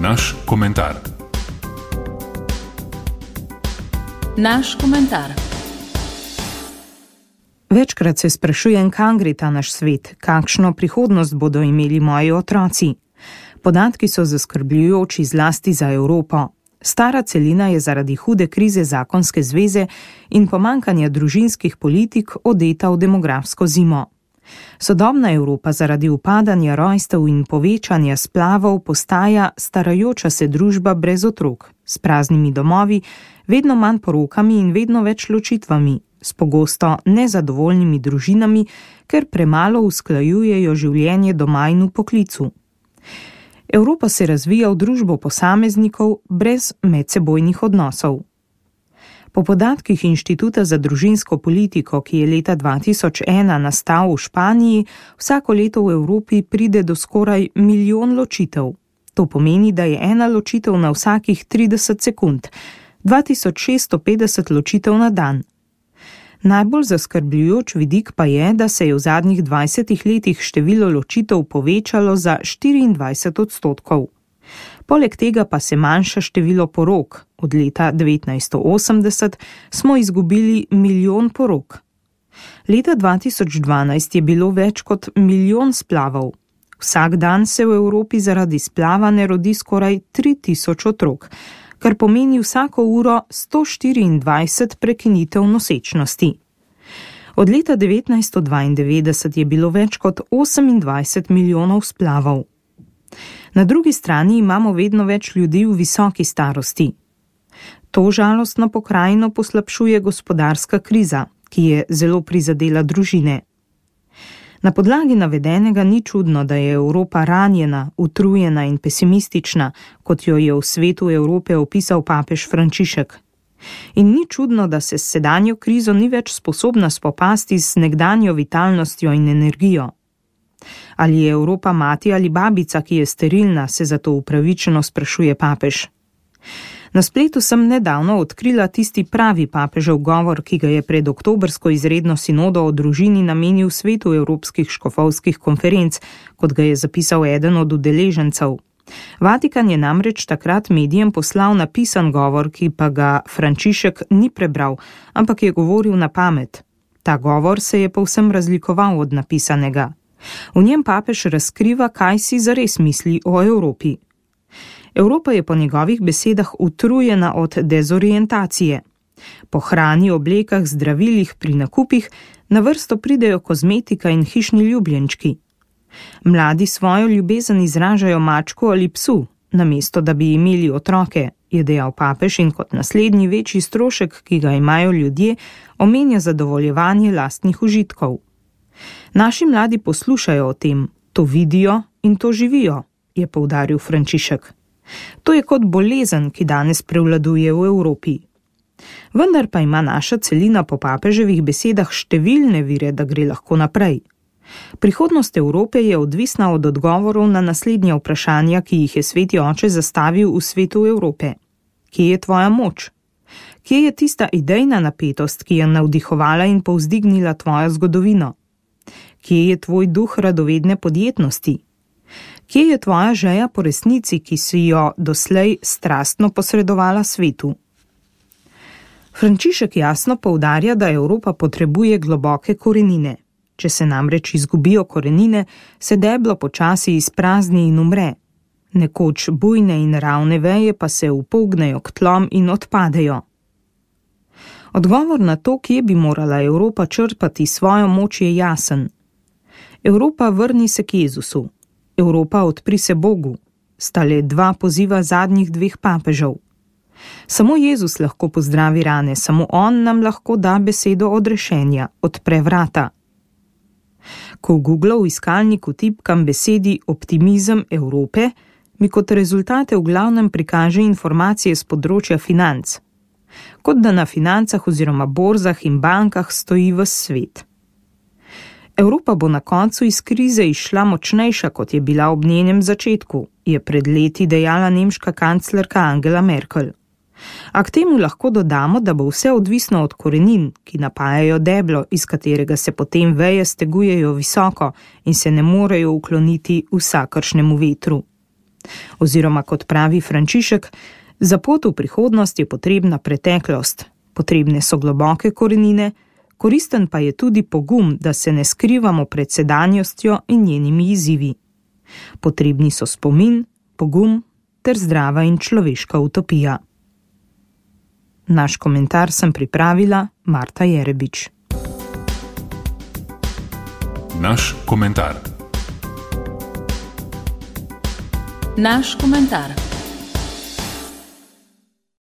Naš komentar. Naš komentar. Večkrat se sprašujem, kam gre ta naš svet, kakšno prihodnost bodo imeli moji otroci. Podatki so zaskrbljujoči zlasti za Evropo. Stara celina je zaradi hude krize zakonske zveze in pomanjkanja družinskih politik odeta v demografsko zimo. Sodobna Evropa zaradi upadanja rojstev in povečanja splavov postaja starajoča se družba brez otrok, s praznimi domovi, vedno manj porokami in vedno več ločitvami, s pogosto nezadovoljnimi družinami, ker premalo usklajujejo življenje doma in v poklicu. Evropa se razvija v družbo posameznikov brez medsebojnih odnosov. Po podatkih Inštituta za družinsko politiko, ki je leta 2001 nastal v Španiji, vsako leto v Evropi pride do skoraj 1 milijon ločitev. To pomeni, da je ena ločitev na vsakih 30 sekund, 2650 ločitev na dan. Najbolj zaskrbljujoč vidik pa je, da se je v zadnjih 20 letih število ločitev povečalo za 24%. Poleg tega pa se manjša število porok. Od leta 1980 smo izgubili 1 milijon porok. Leta 2012 je bilo več kot 1 milijon splavov. Vsak dan se v Evropi zaradi splava ne rodi skoraj 3000 otrok, kar pomeni vsako uro 124 prekinitev nosečnosti. Od leta 1992 je bilo več kot 28 milijonov splavov. Na drugi strani imamo vedno več ljudi v visoki starosti. To žalostno pokrajino poslabšuje gospodarska kriza, ki je zelo prizadela družine. Na podlagi navedenega ni čudno, da je Evropa ranjena, utrujena in pesimistična, kot jo je v svetu Evrope opisal papež Frančišek. In ni čudno, da se s sedanjo krizo ni več sposobna spopasti z nekdanjo vitalnostjo in energijo. Ali je Evropa mati ali babica, ki je sterilna, se zato upravičeno sprašuje papež. Na spletu sem nedavno odkrila tisti pravi papežev govor, ki ga je pred oktobrsko izredno sinodo o družini namenil svetu evropskih škofovskih konferenc, kot ga je zapisal eden od udeležencev. Vatikan je namreč takrat medijem poslal napisan govor, ki pa ga Frančišek ni prebral, ampak je govoril na pamet. Ta govor se je povsem razlikoval od napisanega. V njem papež razkriva, kaj si zares misli o Evropi. Evropa je po njegovih besedah utrujena od dezorientacije. Po hrani, oblekah, zdravilih, pri nakupih na vrsto pridejo kozmetika in hišni ljubljenčki. Mladi svojo ljubezen izražajo mačku ali psu, namesto da bi imeli otroke, je dejal papež in kot naslednji večji strošek, ki ga imajo ljudje, omenja zadovoljevanje lastnih užitkov. Naši mladi poslušajo o tem, to vidijo in to živijo, je poudaril Frančišek. To je kot bolezen, ki danes prevladuje v Evropi. Vendar pa ima naša celina po papeževih besedah številne vire, da gre lahko naprej. Prihodnost Evrope je odvisna od odgovorov na naslednja vprašanja, ki jih je Sveti Oče zastavil v svetu Evrope. Kje je tvoja moč? Kje je tista idejna napetost, ki je navdihovala in povzdignila tvojo zgodovino? Kje je tvoj duh radovedne podjetnosti? Kje je tvoja želja po resnici, ki si jo doslej strastno posredovala svetu? Frančišek jasno poudarja, da Evropa potrebuje globoke korenine. Če se namreč izgubijo korenine, se deblo počasi izprazni in umre. Nekoč bujne in ravne veje pa se upognejo k tlom in odpadejo. Odgovor na to, kje bi morala Evropa črpati svojo moč, je jasen. Evropa, vrni se k Jezusu. Evropa, odpri se Bogu. Sta le dva poziva zadnjih 2 papežev. Samo Jezus lahko pozdravi rane, samo on nam lahko da besedo odrešenja, odpre vrata. Ko v Google v iskalniku tipkam besedi optimizem Evrope, mi kot rezultate v glavnem prikaže informacije z področja financ. Kot da na financah oziroma borzah in bankah stoji ves svet. Evropa bo na koncu iz krize izšla močnejša, kot je bila ob njenem začetku, je pred leti dejala nemška kanclerka Angela Merkel. A k temu lahko dodamo, da bo vse odvisno od korenin, ki napajajo deblo, iz katerega se potem veje stegujejo visoko in se ne morejo ukloniti vsakršnemu vetru. Oziroma, kot pravi Frančišek, za pot v prihodnost je potrebna preteklost, potrebne so globoke korenine, koristen pa je tudi pogum, da se ne skrivamo pred sedanjostjo in njenimi izzivi. Potrebni so spomin, pogum ter zdrava in človeška utopija. Naš komentar sem pripravila Marta Jerebič. Naš komentar. Naš komentar.